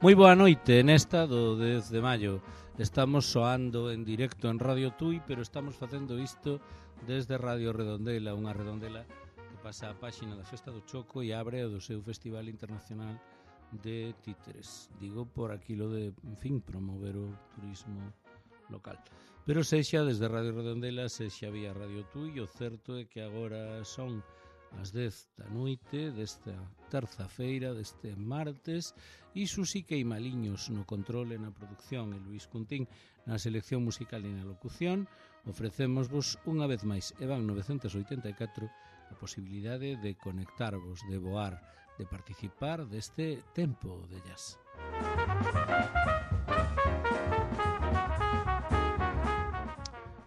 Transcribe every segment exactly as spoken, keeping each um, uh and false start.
Moi boa noite, nesta do dez de maio. Estamos soando en directo en Radio Tui, pero estamos facendo isto desde Radio Redondela, unha redondela que pasa a páxina da Festa do Choco e abre o do seu Festival Internacional de Títeres. Digo por aquilo de, en fin, promover o turismo local. Pero sexa desde Radio Redondela, sexa vía Radio Tui, o certo é que agora son as dez da noite desta terza-feira, deste martes, e Susi Queimaliños no control e na produción, e Luís Cuntín na selección musical e na locución. Ofrecémosvos unha vez máis, e van novecentos oitenta e catro, a posibilidade de conectarvos, de voar, de participar deste tempo de jazz.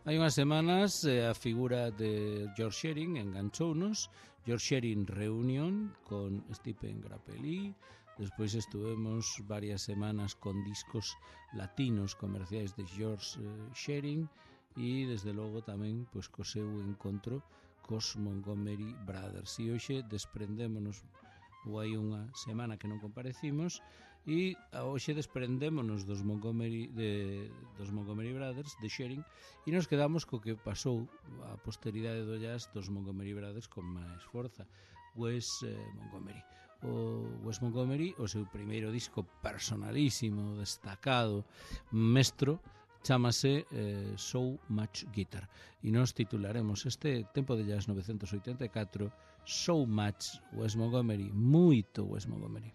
Hai unhas semanas eh, a figura de George Shearing enganchounos. George Shearing Reunion con Stephen Grappelli. Despois estuvemos varias semanas con discos latinos comerciais de George eh, Shearing e desde logo tamén pois co seu encontro cos Montgomery Brothers. E hoxe desprendémonos, ou hai unha semana que non comparecimos, e hoxe desprendémonos dos Montgomery de, dos Montgomery Brothers, de Shearing, e nos quedamos co que pasou a posteridade do jazz dos Montgomery Brothers con máis forza, Wes eh, Montgomery. O Wes Montgomery, o seu primeiro disco personalísimo, destacado, mestro, chámase eh, So Much Guitar, e nos titularemos este tempo de jazz novecentos oitenta e catro So Much Wes Montgomery, moito Wes Montgomery.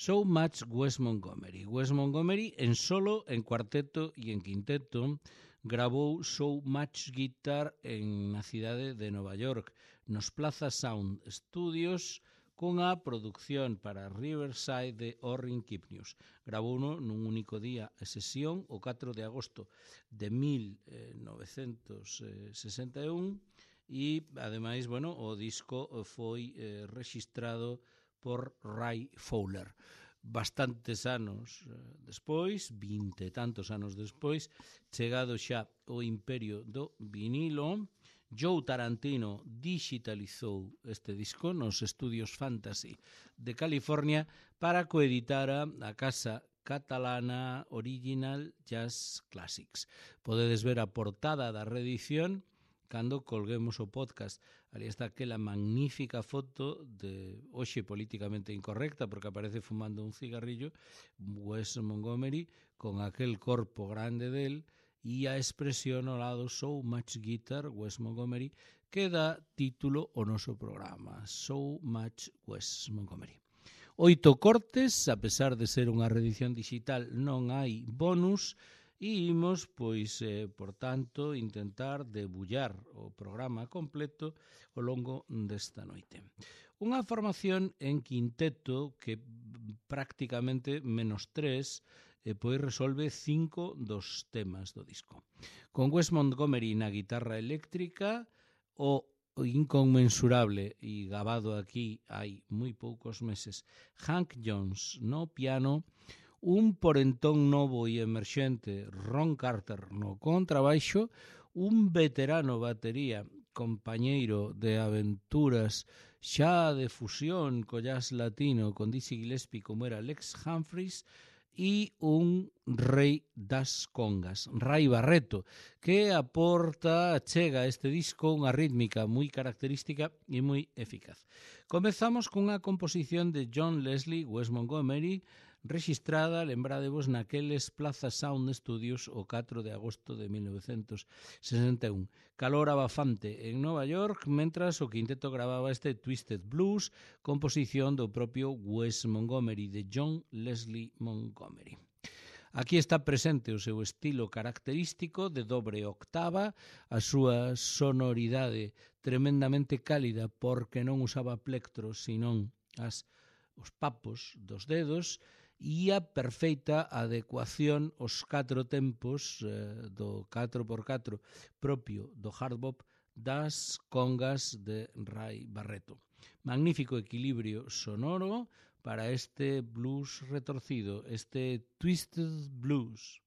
So Much Wes Montgomery. Wes Montgomery en solo, en cuarteto e en quinteto gravou So Much Guitar en na cidade de Nova York, nos Plaza Sound Studios, cunha produción para Riverside de Orrin Kipnius. Gravouno nun único día e sesión o catro de agosto de mil novecentos sesenta e un e, ademais, bueno, o disco foi eh, rexistrado por Ray Fowler. Bastantes anos eh, despois, vinte e tantos anos despois, chegado xa o imperio do vinilo, Joe Tarantino digitalizou este disco nos estudios Fantasy de California para coeditara a casa catalana Original Jazz Classics. Podedes ver a portada da reedición cando colguemos o podcast. Ali está aquela magnífica foto de hoxe políticamente incorrecta porque aparece fumando un cigarrillo Wes Montgomery con aquel corpo grande del e a expresión ao lado So Much Guitar Wes Montgomery que dá título ao noso programa, So Much Wes Montgomery. Oito cortes, a pesar de ser unha reedición digital non hai bonus, e imos, pois, eh, por tanto, intentar debullar o programa completo ao longo desta noite. Unha formación en quinteto que prácticamente menos tres e pois resolve cinco dos temas do disco. Con Wes Montgomery na guitarra eléctrica, o inconmensurable e gabado aquí hai moi poucos meses Hank Jones no piano, un porentón novo e emerxente Ron Carter no contrabaixo, un veterano batería, compañeiro de aventuras xa de fusión co jazz latino con Dizzy Gillespie como era Lex Humphries, e un rei das congas, Ray Barreto, que aporta, chega a este disco unha rítmica moi característica e moi eficaz. Comezamos cunha composición de John Leslie Wes Montgomery, rexistrada, lembradevos, naqueles Plaza Sound Studios o catro de agosto de mil novecentos sesenta e un. Calor abafante en Nova York, mentras o quinteto gravaba este Twisted Blues, composición do propio Wes Montgomery, de John Leslie Montgomery. Aquí está presente o seu estilo característico de dobre octava, a súa sonoridade tremendamente cálida porque non usaba plectros, senón as, os papos dos dedos, e a perfeita adecuación aos catro tempos eh, do catro por catro propio do hard bop das congas de Ray Barreto. Magnífico equilibrio sonoro para este blues retorcido, este Twisted Blues.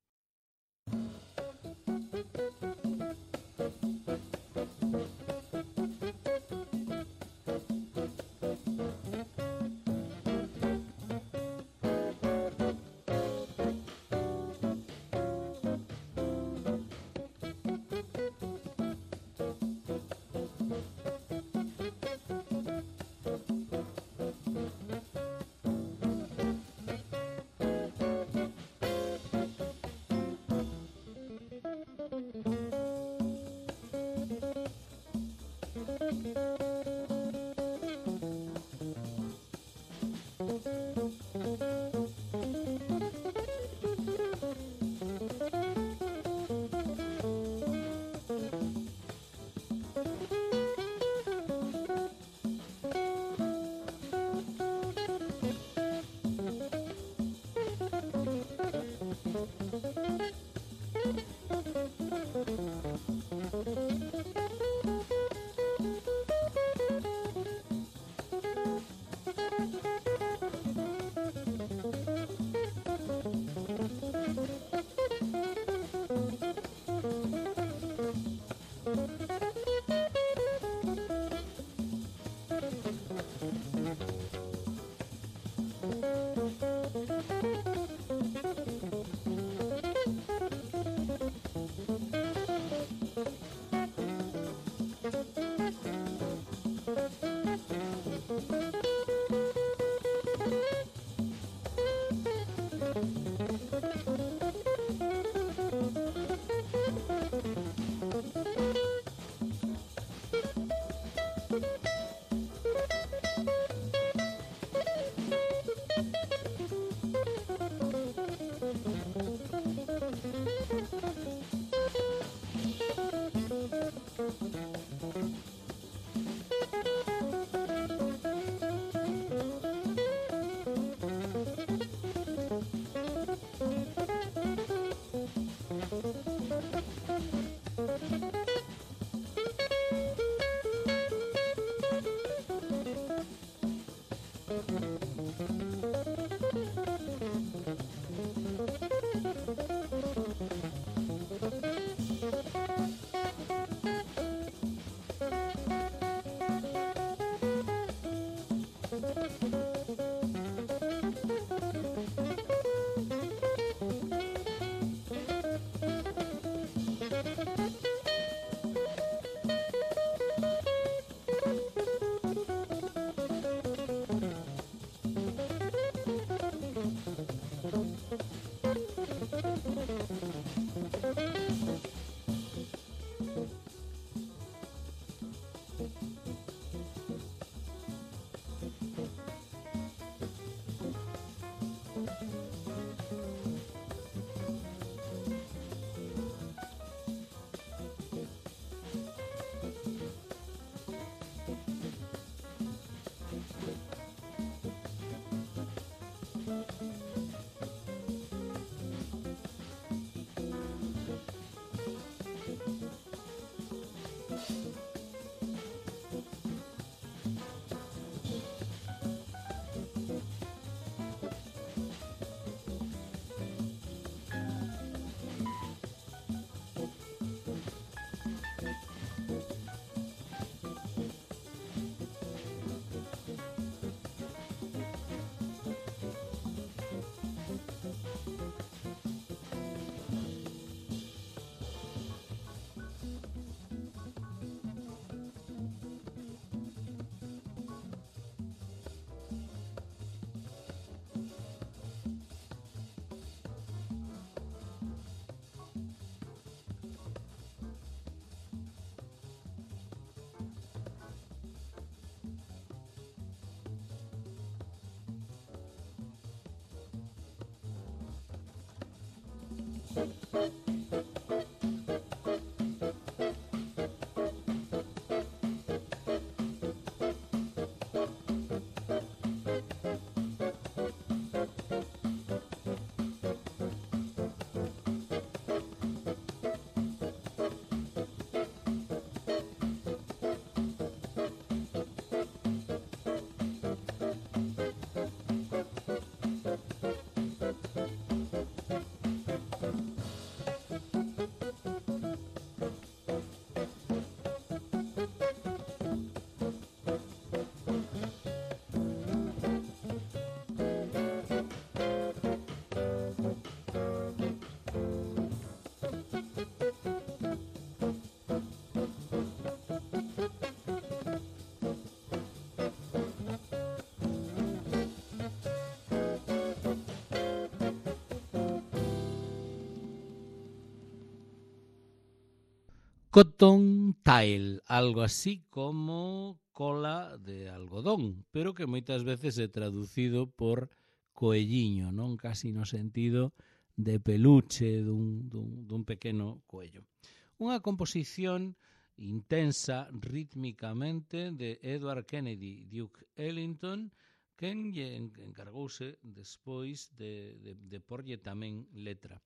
Cottontail, algo así como cola de algodón, pero que moitas veces é traducido por coelliño, non? Casi no sentido de peluche dun, dun, dun pequeno coello. Unha composición intensa rítmicamente de Edward Kennedy Duke Ellington, quen encargouse despois de, de, de porlle tamén letra.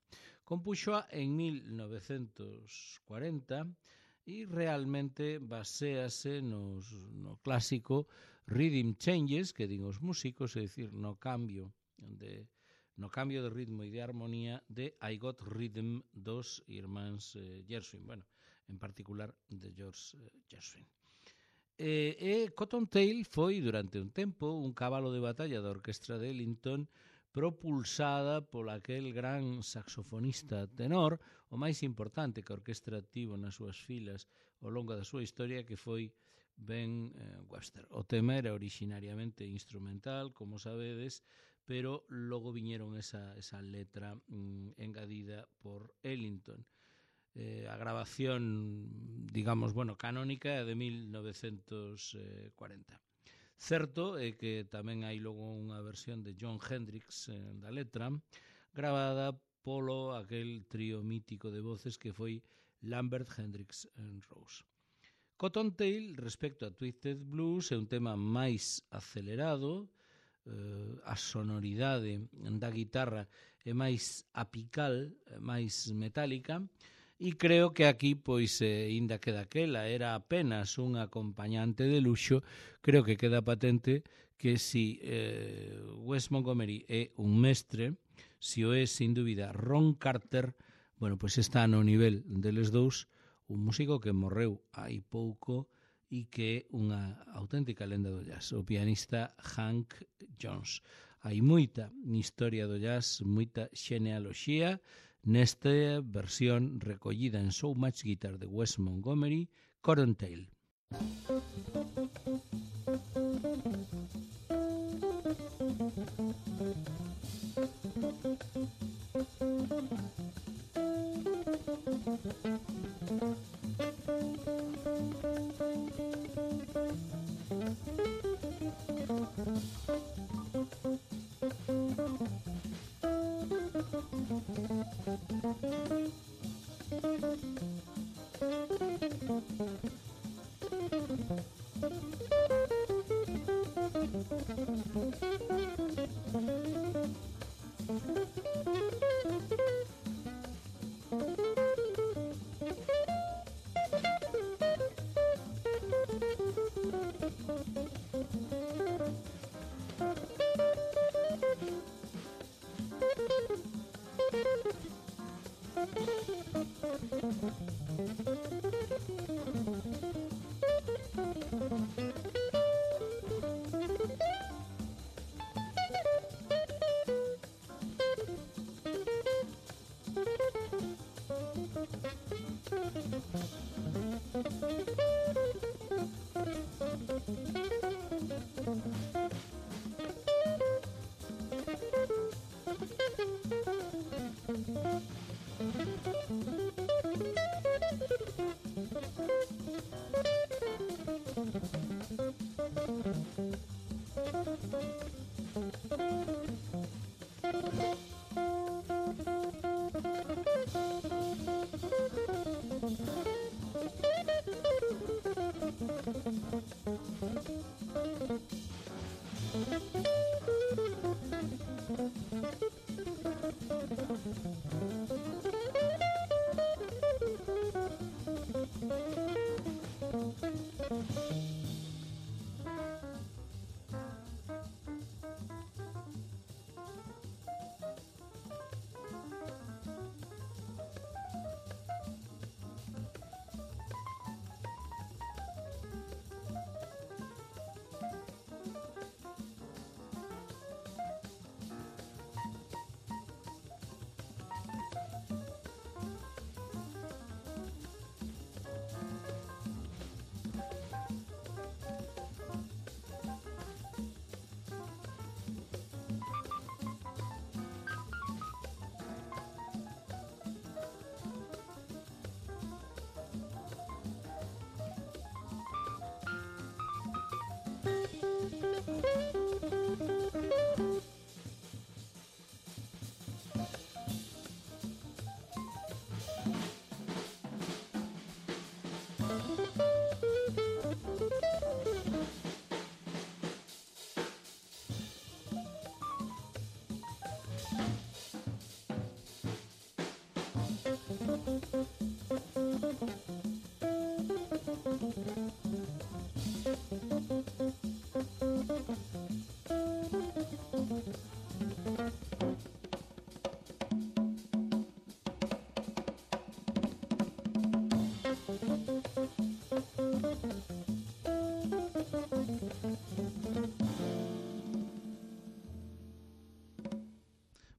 Compuxoa en mil novecentos cuarenta e realmente baséase nos, no clásico Rhythm Changes que din os músicos, é dicir, no cambio de no cambio de ritmo e de armonía de I Got Rhythm dos irmáns eh, Gershwin, bueno, en particular de George eh, Gershwin. E, e Cottontail foi durante un tempo un cabalo de batalla da orquestra de Ellington, propulsada por aquel gran saxofonista tenor, o máis importante que a orquestra tivo nas súas filas ao longo da súa historia, que foi Ben eh, Webster. O tema era originariamente instrumental, como sabedes, pero logo viñeron esa, esa letra mm, engadida por Ellington. Eh, a grabación, digamos, bueno, canónica é de mil novecentos cuarenta. Certo é que tamén hai logo unha versión de Jon Hendricks eh, da letra, gravada polo aquel trío mítico de voces que foi Lambert, Hendricks and Rose. Cottontail, respecto a Twisted Blues, é un tema máis acelerado, eh, a sonoridade da guitarra é máis apical, máis metálica, e creo que aquí, pois, eh, inda que daquela era apenas un acompañante de luxo, creo que queda patente que si eh, Wes Montgomery é un mestre, si o é, sin dúbida, Ron Carter, bueno, pois está no nivel deles dous, un músico que morreu hai pouco e que é unha auténtica lenda do jazz, o pianista Hank Jones. Hai moita historia do jazz, moita xenealoxía nesta versión recollida en So Much Guitar de Wes Montgomery, Cottontail.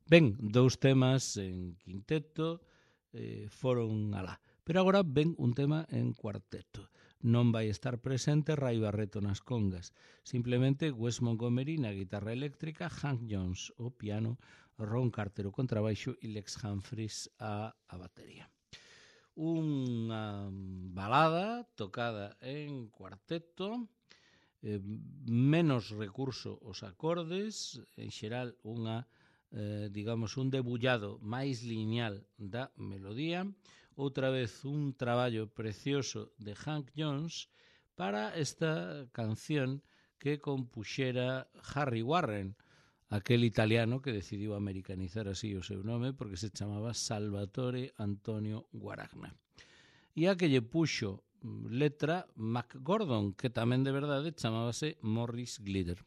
Ben, dous temas en quinteto eh, foron alá. Pero agora ven un tema en cuarteto. Non vai estar presente Ray Barreto nas congas. Simplemente Wes Montgomery na guitarra eléctrica, Hank Jones o piano, Ron Carter o contrabaixo e Lex Humphries a, a batería. Unha balada tocada en cuarteto, eh, menos recurso aos acordes, en xeral unha Eh, digamos, un debullado máis lineal da melodía, outra vez un traballo precioso de Hank Jones para esta canción que compuxera Harry Warren, aquel italiano que decidiu americanizar así o seu nome porque se chamaba Salvatore Antonio Guaragna. E a que lle puxo letra Mac Gordon, que tamén de verdade chamábase Morris Glider.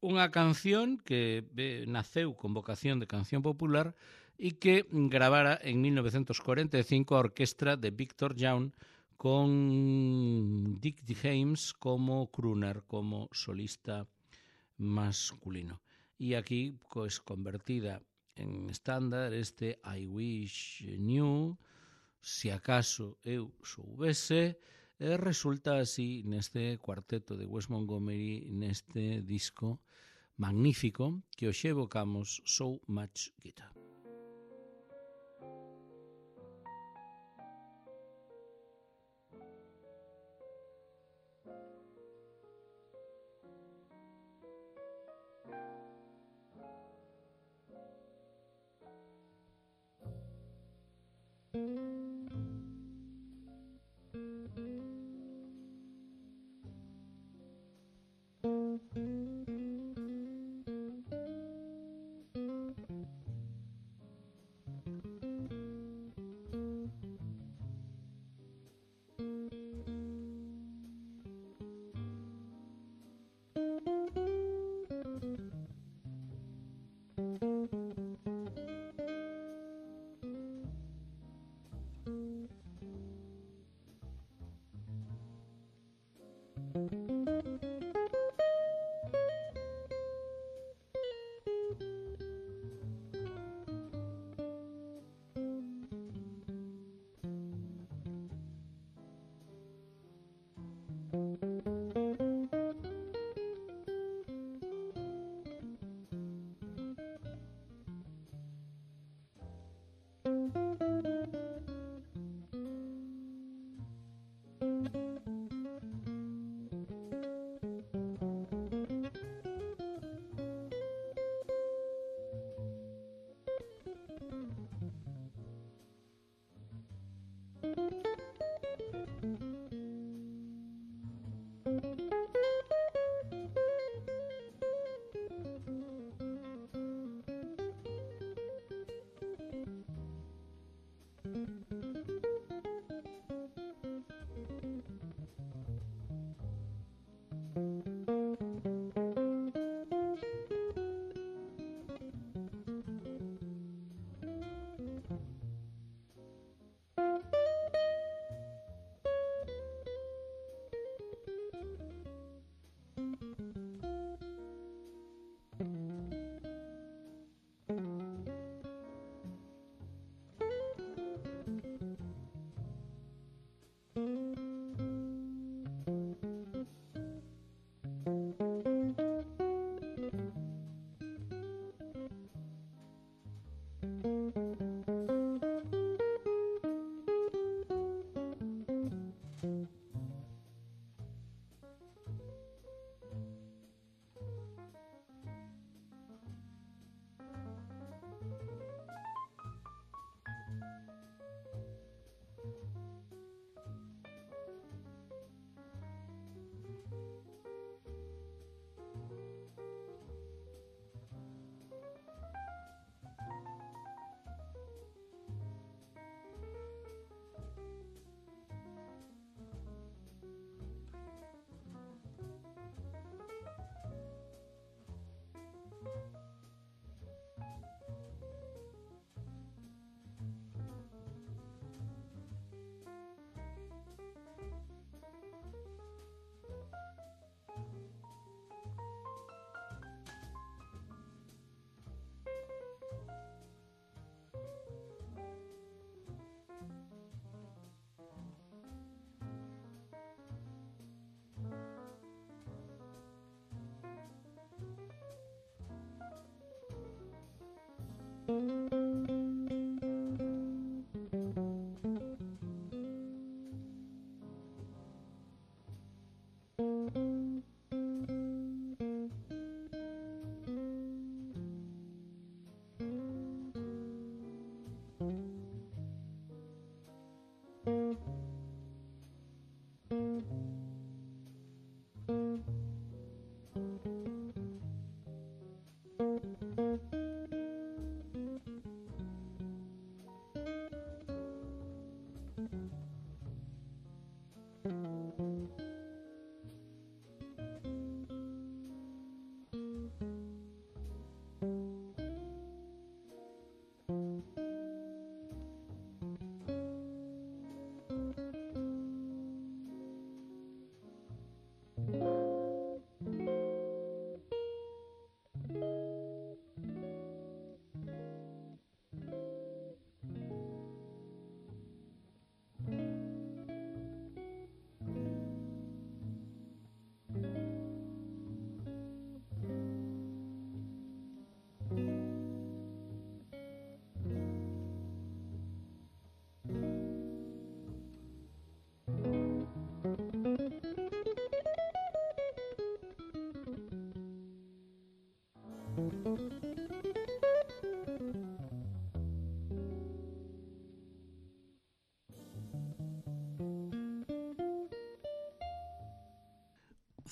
Unha canción que eh, naceu con vocación de canción popular e que gravara en mil novecientos cuarenta e cinco a orquestra de Victor Young con Dick James como crooner, como solista masculino. E aquí, pues, convertida en estándar este I Wish Knew, se acaso eu soubese, e resulta así neste cuarteto de Wes Montgomery, neste disco magnífico que hoxe evocamos, So Much Guitar.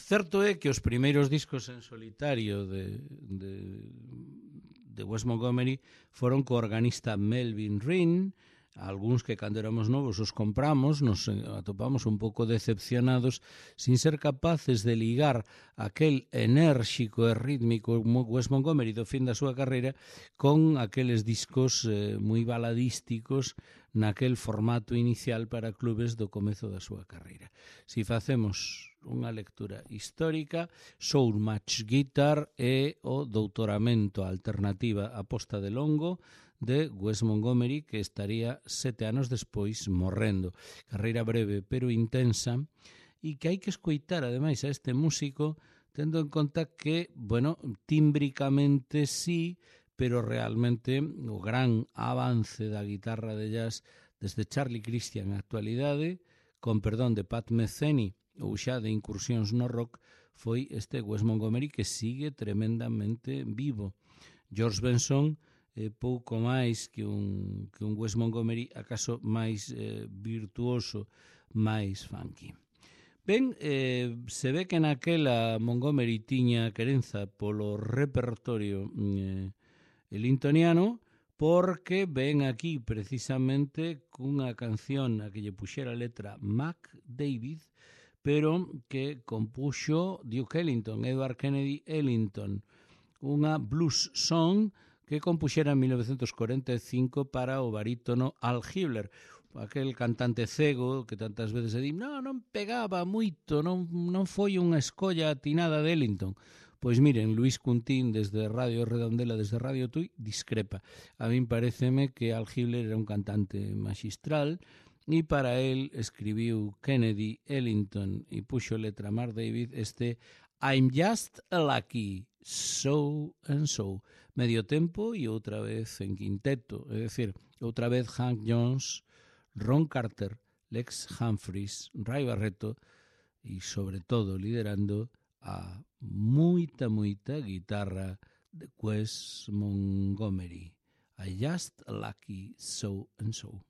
Certo é que os primeiros discos en solitario de, de, de Wes Montgomery foron co organista Melvin Rinn, algúns que cando éramos novos os compramos, nos atopamos un pouco decepcionados sin ser capaces de ligar aquel enérxico e rítmico Wes Montgomery do fin da súa carreira con aqueles discos eh, moi baladísticos naquel formato inicial para clubes do comezo da súa carreira. Si facemos unha lectura histórica, So Much Guitar é o doutoramento alternativa a posta de longo de Wes Montgomery, que estaría sete anos despois morrendo. Carreira breve pero intensa, e que hai que escoitar ademais a este músico tendo en conta que, bueno, tímbricamente sí, pero realmente o gran avance da guitarra de jazz desde Charlie Christian na actualidade, con perdón de Pat Metheny ou xa de incursións no rock, foi este Wes Montgomery que sigue tremendamente vivo. George Benson é pouco máis que un, que un Wes Montgomery acaso máis eh, virtuoso, máis funky. Ben, eh, se ve que naquela Montgomery tiña querenza polo repertorio eh, elintoniano, porque ven aquí precisamente cunha canción a que lle puxera a letra Mac David, pero que compuxo Duke Ellington, Edward Kennedy Ellington, unha blues song que compuxera en mil novecentos cuarenta e cinco para o barítono Al Hibbler, aquel cantante cego que tantas veces se di, non, non pegaba moito, non, non foi unha escolla atinada de Ellington. Pois miren, Luis Cuntín desde Radio Redondela, desde Radio Tui, discrepa. A min pareceme que Al Hibbler era un cantante magistral, e para él escribiu Kennedy Ellington e puxo letra Mark David este I'm just a lucky, so and so. Medio tempo e outra vez en quinteto, é dicir, outra vez Hank Jones, Ron Carter, Lex Humphries, Ray Barretto e sobre todo liderando a moita, moita guitarra de Wes Montgomery. I just a lucky, so and so.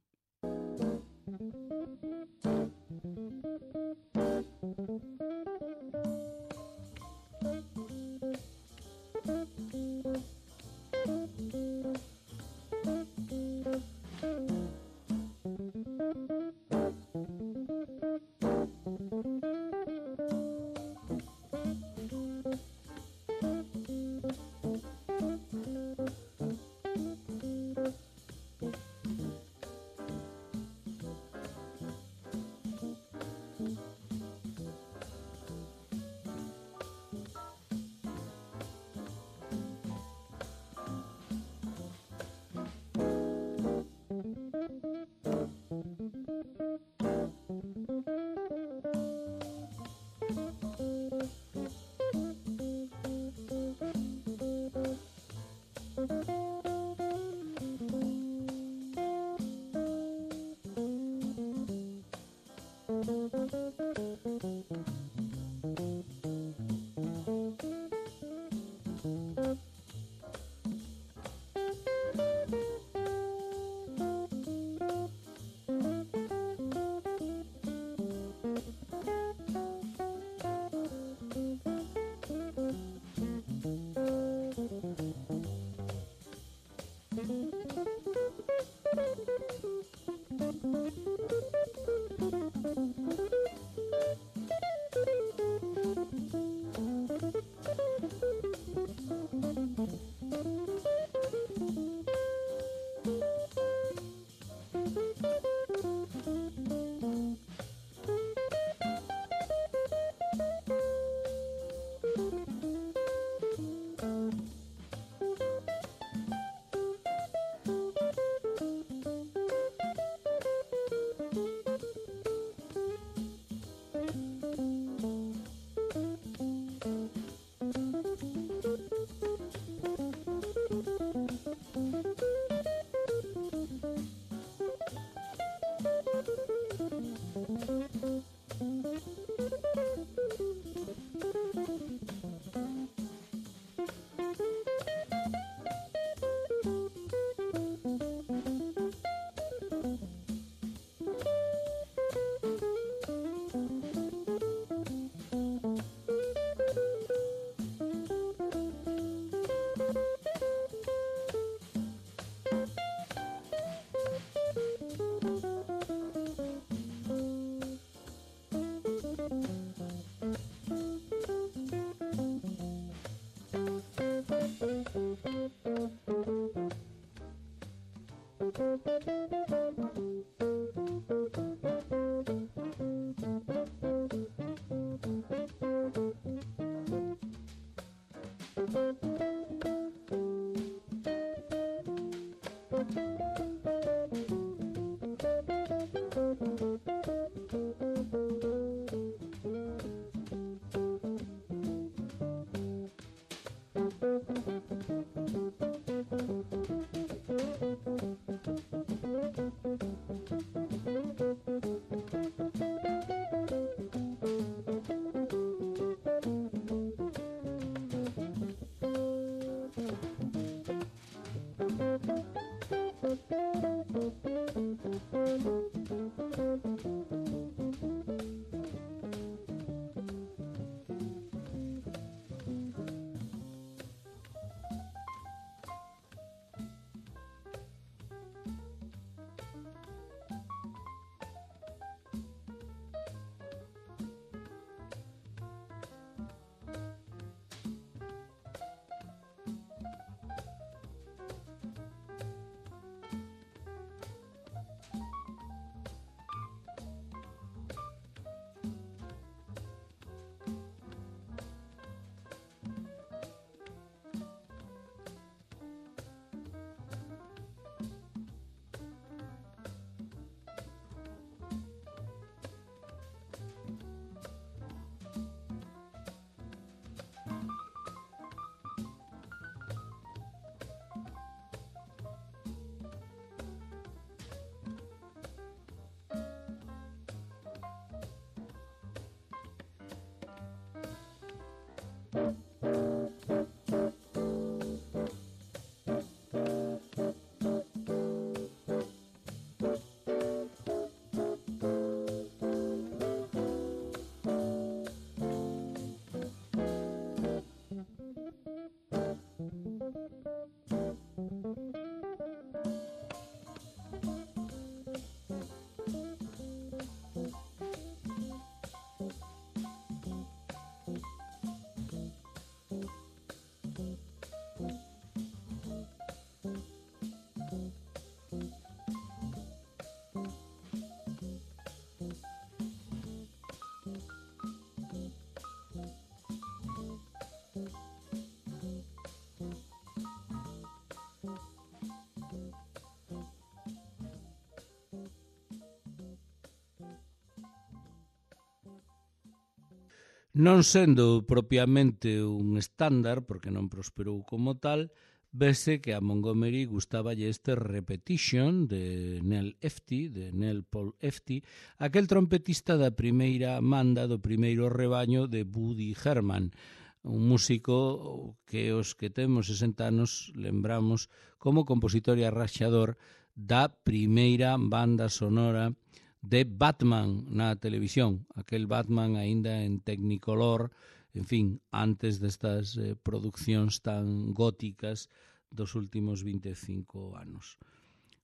Non sendo propiamente un estándar, porque non prosperou como tal, vese que a Montgomery gustaballe este Repetition de Nell Efti, de Nell Paul Efti, aquel trompetista da primeira manda do primeiro rebaño de Woody Herman, un músico que os que temos sesenta anos lembramos como compositor e arraxador da primeira banda sonora de Batman na televisión, aquel Batman aínda en Technicolor, en fin, antes destas eh, produccións tan góticas dos últimos vinte e cinco anos.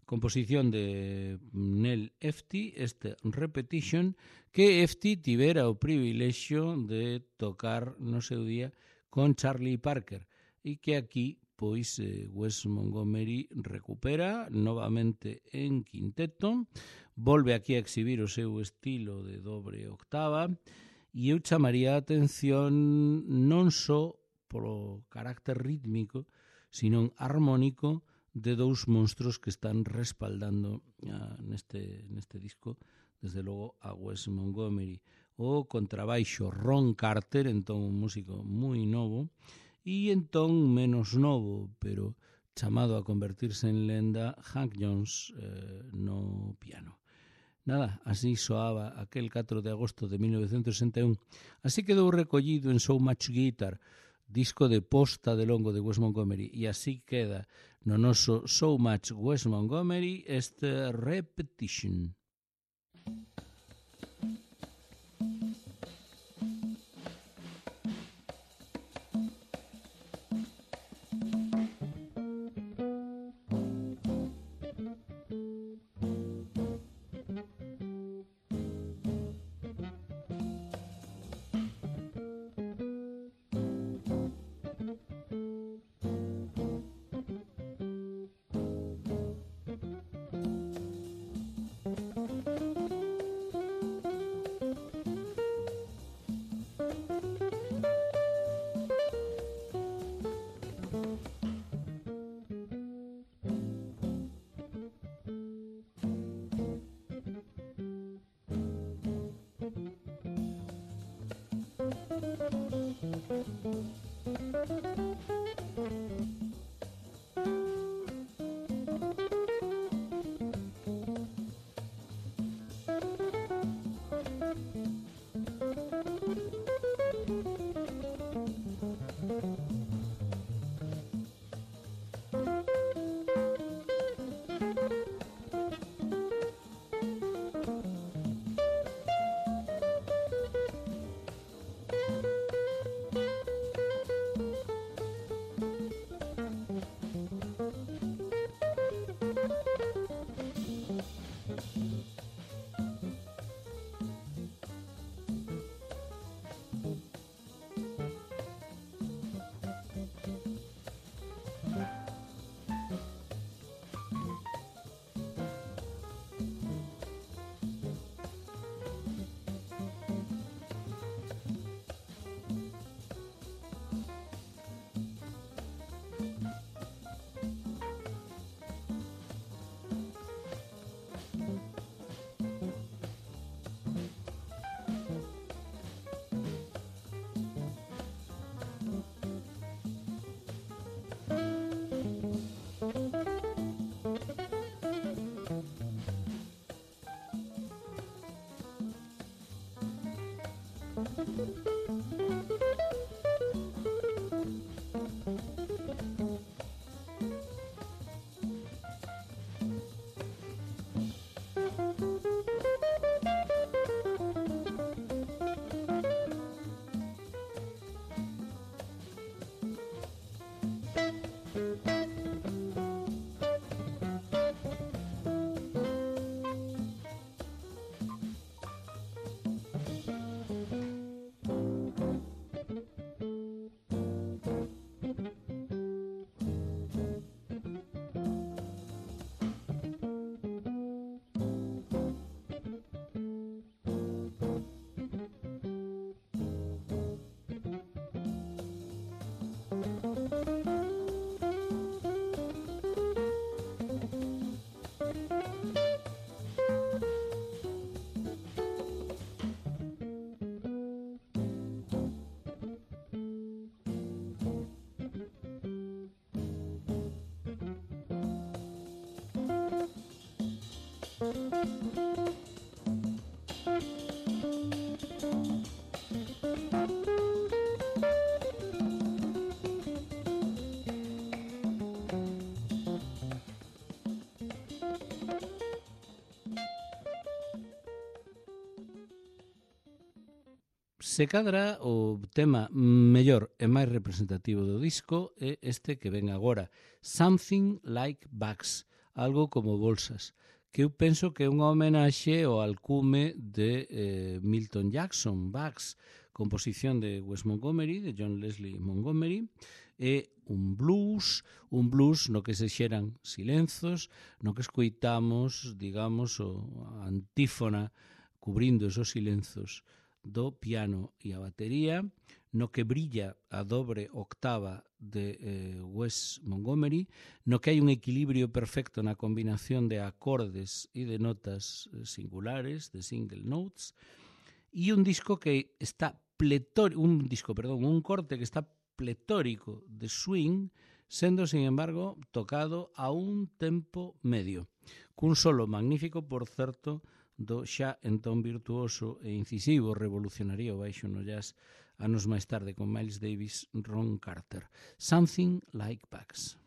Composición de Nell Efti, este Repetition, que Efti tivera o privilexio de tocar no seu día con Charlie Parker e que aquí pois eh, Wes Montgomery recupera novamente en quinteto, volve aquí a exhibir o seu estilo de dobre octava e eu chamaría a atención non só polo carácter rítmico, sino armónico de dous monstruos que están respaldando uh, neste, neste disco, desde logo a Wes Montgomery. O contrabaixo Ron Carter, entón un músico moi novo, e entón menos novo, pero chamado a convertirse en lenda, Hank Jones eh, no piano. Nada, así soaba aquel catro de agosto de mil novecentos sesenta e un. Así quedou recollido en So Much Guitar, disco de posta de longo de Wes Montgomery, e así queda no noso So Much Wes Montgomery este Repetition. Se cadra o tema mellor e máis representativo do disco é este que ven agora, Something Like Bags, algo como bolsas, que eu penso que é unha homenaxe ao alcume de eh, Milton Jackson, Bags, composición de Wes Montgomery, de John Leslie Montgomery, é un blues, un blues no que se xeran silenzos, no que escoitamos, digamos, o a antífona cubrindo esos silenzos do piano e a batería, no que brilla a dobre octava de eh, Wes Montgomery, no que hai un equilibrio perfecto na combinación de acordes e de notas singulares, de single notes, e un disco que está pletórico, un disco, perdón, un corte que está pletórico de swing, sendo, sin embargo, tocado a un tempo medio, cun solo magnífico, por certo, do xa entón virtuoso e incisivo revolucionario baixo no jazz anos máis tarde con Miles Davis, Ron Carter. Something Like Bags.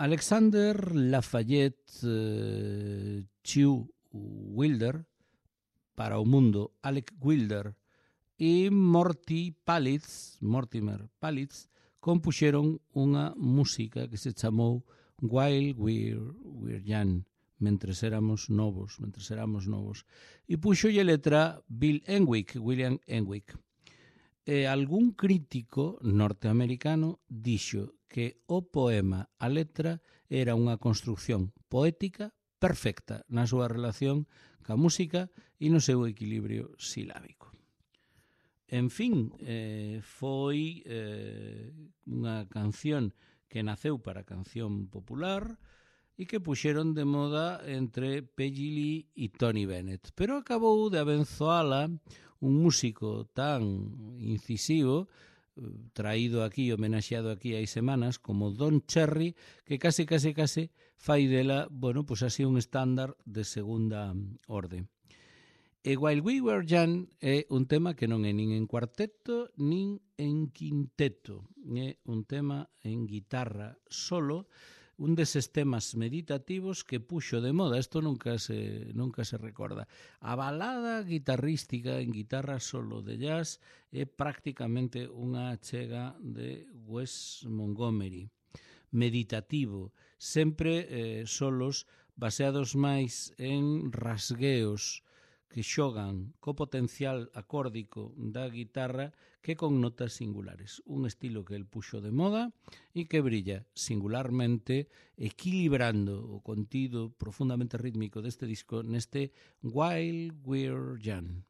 Alexander Lafayette eh, Chiu Wilder, para o mundo Alec Wilder, e Morty Palitz, Mortimer Palitz, compuxeron unha música que se chamou While We're, We're Young, mentres éramos novos, mentres éramos novos. E puxolle letra Bill Enwick, William Enwick. E algún crítico norteamericano dixo que o poema, a letra, era unha construcción poética perfecta na súa relación ca música e no seu equilibrio silábico. En fin, eh, foi eh, unha canción que naceu para canción popular e que puxeron de moda entre Peggy Lee e Tony Bennett, pero acabou de abenzoala un músico tan incisivo, traído aquí, homenaxeado aquí hai semanas, como Don Cherry, que case, case, case fai dela, bueno, pois así un estándar de segunda orde. E While We Were Young é un tema que non é nin en cuarteto, nin en quinteto. É un tema en guitarra solo, un deses temas meditativos que puxo de moda, isto nunca se, nunca se recorda. A balada guitarrística en guitarra solo de jazz é prácticamente unha achega de Wes Montgomery. Meditativo, sempre eh, solos baseados máis en rasgueos que xogan co potencial acórdico da guitarra que con notas singulares. Un estilo que el puxo de moda e que brilla singularmente equilibrando o contido profundamente rítmico deste disco neste While We're Young.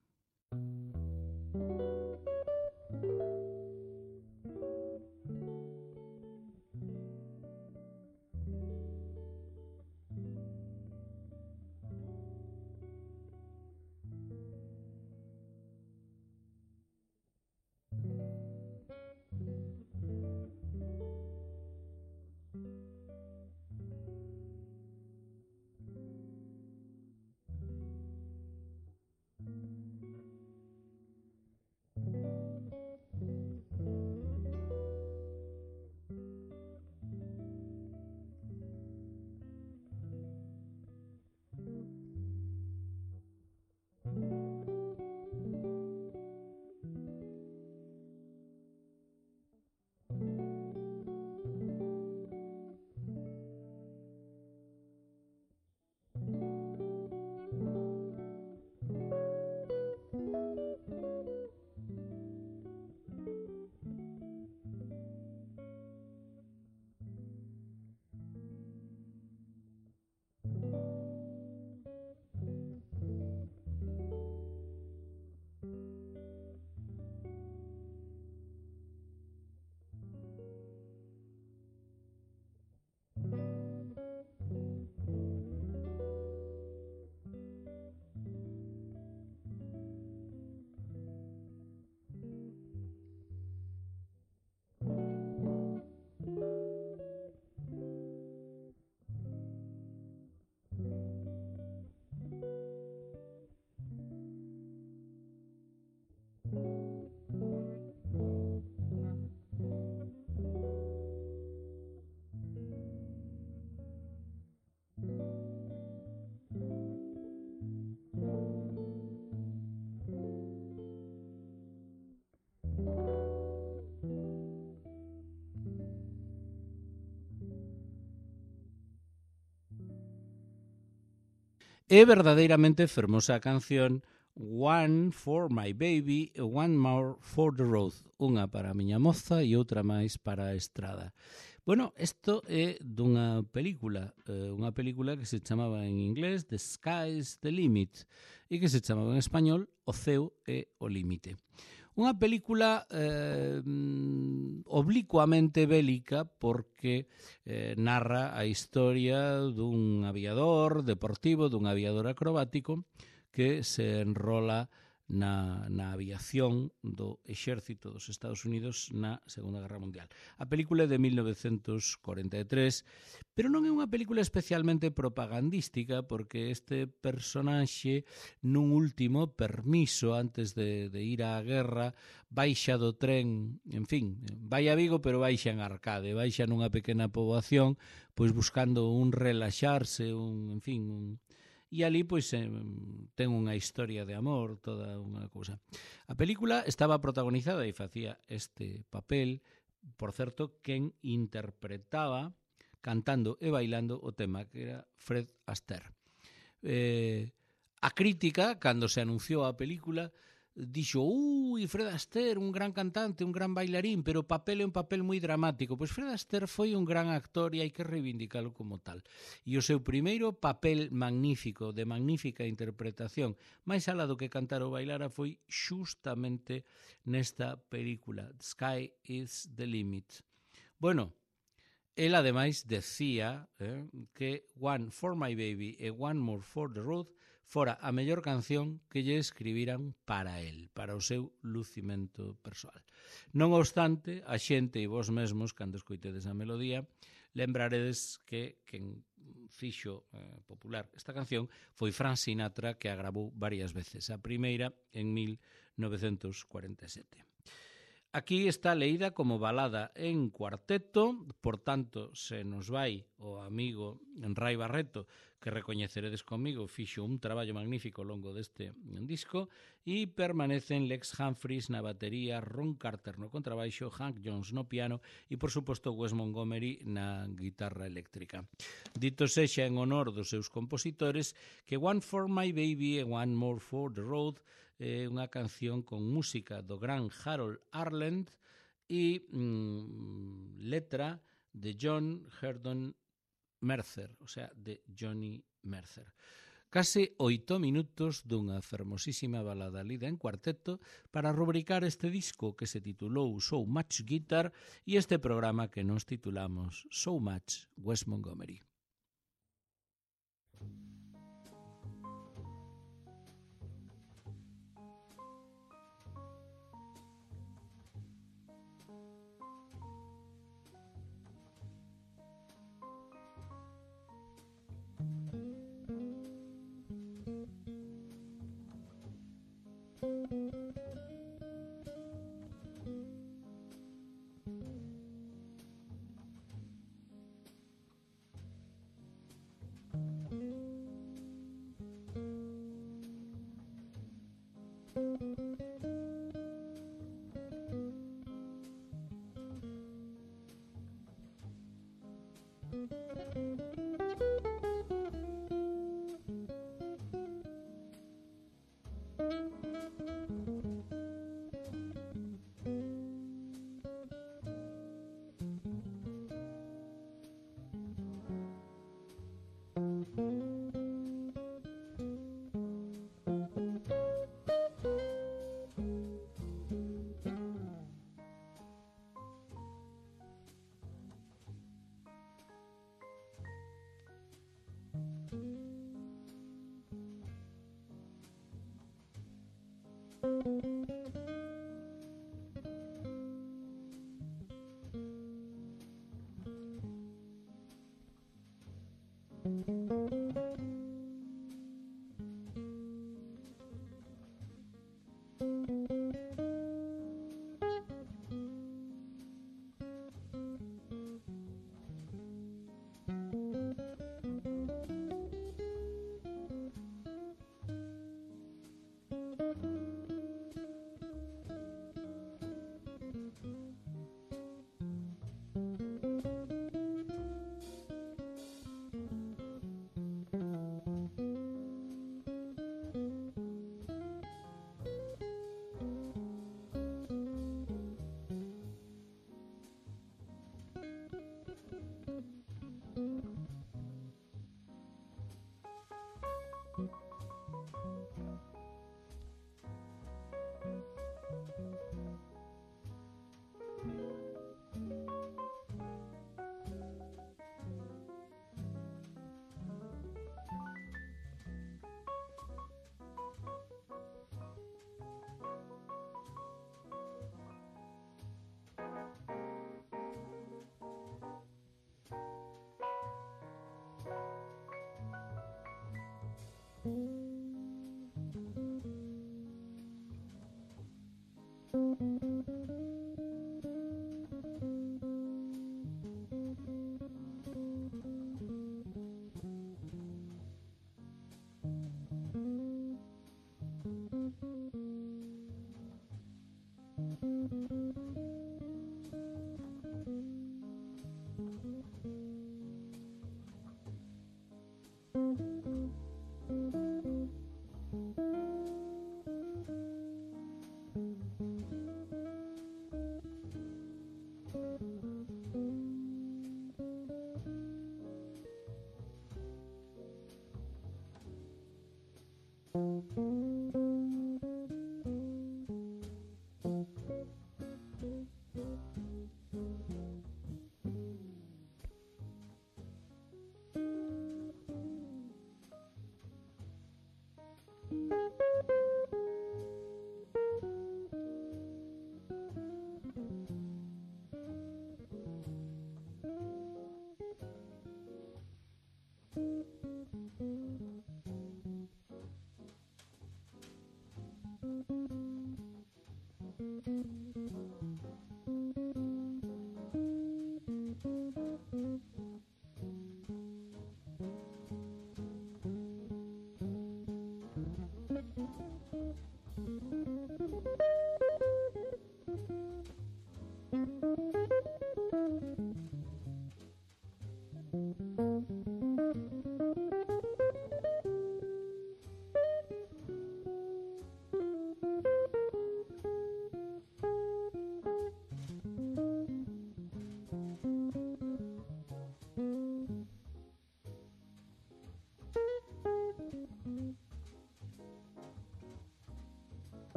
É verdadeiramente fermosa a canción One for my baby, one more for the road. Unha para a miña moza e outra máis para a estrada. Bueno, isto é dunha película, eh, unha película que se chamaba en inglés The Sky's the Limit e que se chamaba en español O ceo é o límite. Unha película eh, oblicuamente bélica porque eh, narra a historia dun aviador deportivo, dun aviador acrobático que se enrola na, na aviación do exército dos Estados Unidos na Segunda Guerra Mundial. A película é de mil novecentos cuarenta e tres, pero non é unha película especialmente propagandística porque este personaxe nun último permiso antes de, de ir á guerra baixa do tren, en fin, vai a Vigo pero baixa en Arcade, baixa nunha pequena poboación pois buscando un relaxarse, un, en fin, un... E ali pois ten unha historia de amor, toda unha cousa. A película estaba protagonizada e facía este papel, por certo, quen interpretaba cantando e bailando o tema, que era Fred Astaire. Eh, a crítica, cando se anunciou a película, dixo, ui, Fred Astaire, un gran cantante, un gran bailarín, pero o papel é un papel moi dramático. Pois Fred Astaire foi un gran actor e hai que reivindicalo como tal. E o seu primeiro papel magnífico, de magnífica interpretación, máis alá do que cantar ou bailara, foi xustamente nesta película, Sky is the Limit. Bueno, el ademais decía eh, que One for my baby e One more for the road fora a mellor canción que lle escribiran para el, para o seu lucimento persoal. Non obstante, a xente e vos mesmos, cando escoitedes a melodía, lembraredes que quen fixo eh, popular esta canción foi Frank Sinatra, que a gravou varias veces. A primeira en mil novecentos cuarenta e sete. Aquí está leída como balada en cuarteto, por tanto, se nos vai o amigo Rai Barreto, que recoñeceredes comigo, fixo un traballo magnífico ao longo deste disco, e permanecen Lex Humphries na batería, Ron Carter no contrabaixo, Hank Jones no piano e, por suposto, Wes Montgomery na guitarra eléctrica. Dito sexa en honor dos seus compositores, que One for my baby e One more for the road é unha canción con música do gran Harold Arlen e mm, letra de John Herdon Mercer, o sea, de Johnny Mercer. Case oito minutos dunha fermosísima balada lida en cuarteto para rubricar este disco que se titulou So Much Guitar e este programa que nos titulamos So Much Wes Montgomery.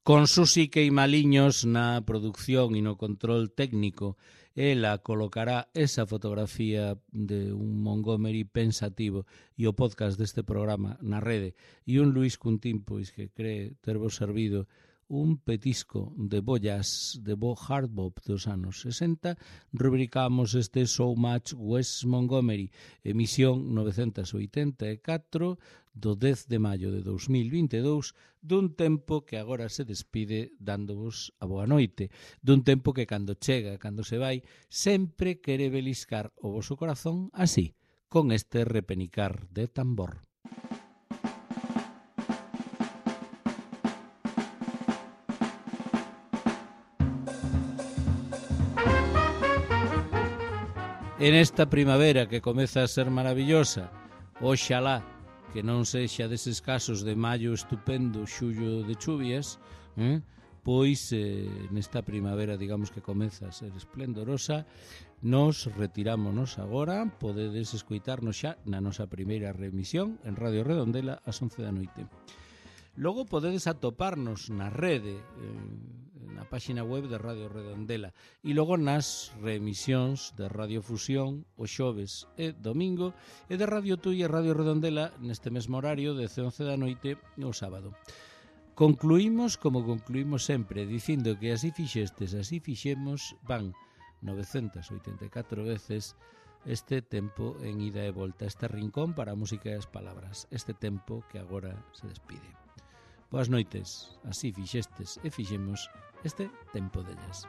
con Susi Queimaliños na producción e no control técnico. Ela colocará esa fotografía de un Montgomery pensativo e o podcast deste programa na rede, e un Luis Cuntín, pois, que cree tervos servido un petisco de bollas de bo hard bop dos anos sesenta. Rubricamos este So Much Wes Montgomery, emisión novecentos oitenta e catro do dez de maio de dous mil vinte e dous, dun tempo que agora se despide dándovos a boa noite, dun tempo que cando chega, cando se vai, sempre quere beliscar o voso corazón así, con este repenicar de tambor. En esta primavera que comeza a ser maravillosa, oxalá que non sexa deses casos de maio estupendo, xullo de chuvias, eh? pois eh, nesta primavera, digamos, que comeza a ser esplendorosa, nos retirámonos agora. Podedes escoitarnos xa na nosa primeira remisión en Radio Redondela ás once da noite. Logo podedes atoparnos na rede, eh, na páxina web de Radio Redondela, e logo nas reemisións de Radio Fusión o xoves e domingo, e de Radio Tui e Radio Redondela neste mesmo horario de once da noite o sábado. Concluímos como concluímos sempre, dicindo que así fixestes, así fixemos, van novecentas oitenta e catro veces este tempo en ida e volta, este rincón para a música e as palabras, este tempo que agora se despide. Boas noites, así fixestes e fixemos este tempo dellas.